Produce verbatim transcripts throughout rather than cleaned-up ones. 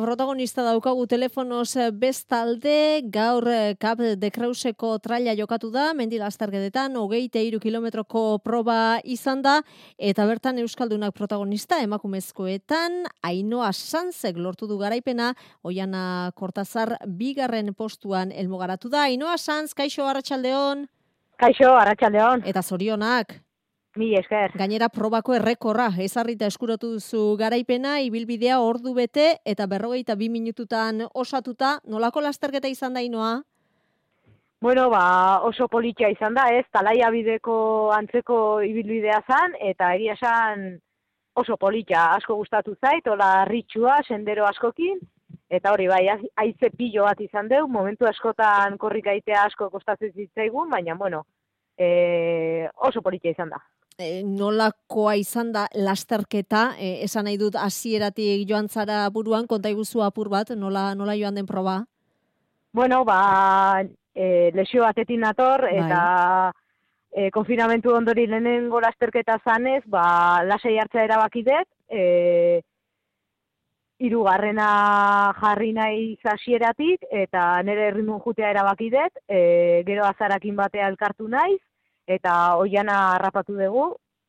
Protagonista daukagu telefonoz bestalde, gaur Cap de Creuseko traila jokatu da, mendi lasterketetan, hogeita hiru kilometroko proba izan da, eta bertan Euskaldunak protagonista, emakumezkoetan, Ainhoa Sanzek lortu du garaipena, Oiana Kortazar bigarren postuan helmugaratu da. Ainhoa Sanz, kaixo, arratsaldeon. Kaixo, arratsaldeon. Eta zorionak. Mi esker. Gainera probako errekorra, ezarrita eskuratu duzu garaipena, ibilbidea ordu bete eta berrogeita bi minututan osatuta. Nolako lasterketa izan da, Ainhoa? Bueno, ba, oso politia izan da, ez? Talaia bideko antzeko ibilbidea zan, eta egia esan oso politia asko gustatu zait, hola ritxua, sendero askokin, eta hori bai, haize pilo bat izan deu, momentu askotan korrikaitea asko kostatzen zitzaigun, baina, bueno, e, oso politia izan da. E, nolakoa izan da lasterketa, e, esan nahi dut hasieratik joan zara buruan, konta iguzu apur bat, nola, nola joan den proba? Bueno, ba, e, lesio batetin nator, Bai. eta e, konfinamentu ondori lehenengo lasterketa zanez, ba, lasai hartzea erabaki dut, e, hirugarrena jarri nahi hasieratik eta nire erritmon jutea erabaki dut, e, gero azarakin batea elkartu naiz, eta Oiana harrapatu dugu,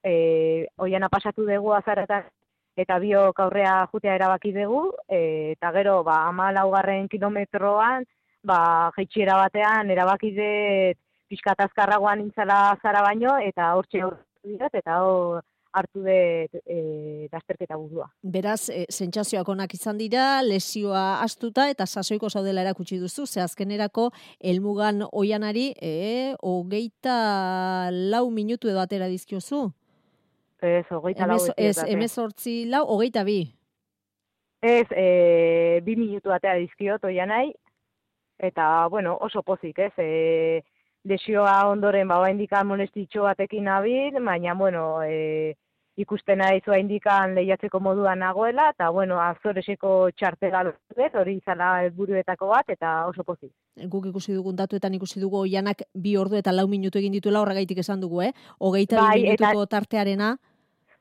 e, Oiana pasatu dugu azaretan, eta biok aurrea jutea erabaki dugu, e, eta gero, ba, hamalaugarren kilometroan, ba, jaitxiera batean erabaki dut pixkat azkarragoan nintzala zara baino, eta hortxe horretu dut, eta hor hartu dut e, lasterketa burua. Beraz, e, sentsazioak onak izan dira, lesioa astuta eta sasoiko zaudela erakutsi duzu, ze azkenerako helmugan Oianari e, hogeita lau minutu edo atera dizkiozu. Ez, hogeita lau. Ez, hemezortzi lau, hogeita bi. Ez, e, bi minutu atera dizkiot Oianai, eta, bueno, oso pozik, ez, e, lesioa ondoren, ba, indikan molestitxo batekin nabil, baina, bueno, e, ikusten naiz indikan lehiatzeko moduan nagoela, eta, bueno, Azoreseko txartela dut, hori izala helburuetako bat, eta oso pozik. Guk ikusi dugun datuetan ikusi dugu Oianak bi ordu eta lau minutu egin dituela, horregaitik esan dugu, eh? Hogeita bai, bi minutuko eta, tartearena.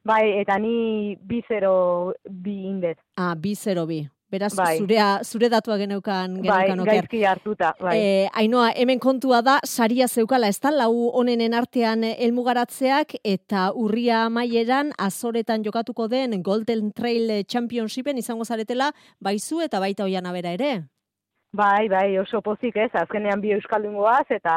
Bai, eta ni bi zero bi indez. Ah, bi zero bi. Beraz, bai. zurea, zure datua geneukan, geneukan bai, oker. gaizki hartuta, bai. E, Ainhoa, hemen kontua da, saria zeukala, ez da, lau honenen artean helmugaratzeak eta urria amaieran Azoretan jokatuko den Golden Trail Championshipen izango zaretela, baizu eta baita Oiana bera ere. Bai, bai, oso pozik ez, azkenean bi euskaldungoaz, eta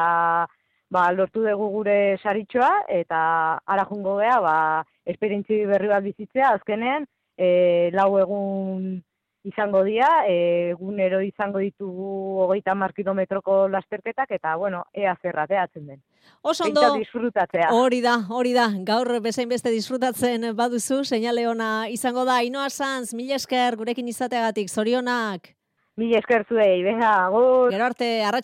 ba, lortu dugu gure saritxoa, eta ara jungo gea, ba, esperientzi berri bat bizitzea, azkenean, e, lau egun izango dira, egunero izango ditugu hogeita hamar kilometroko lasterketak, eta, bueno, ea zerrateatzen den. Oso ondo, disfrutatzea. Hori da, hori da, gaur bezain beste disfrutatzen baduzu, seinale ona izango da. Ainhoa Sanz, mila esker gurekin izateagatik, zorionak. Mila esker zuei, venga, agur. Gero arte, arratsaldeon.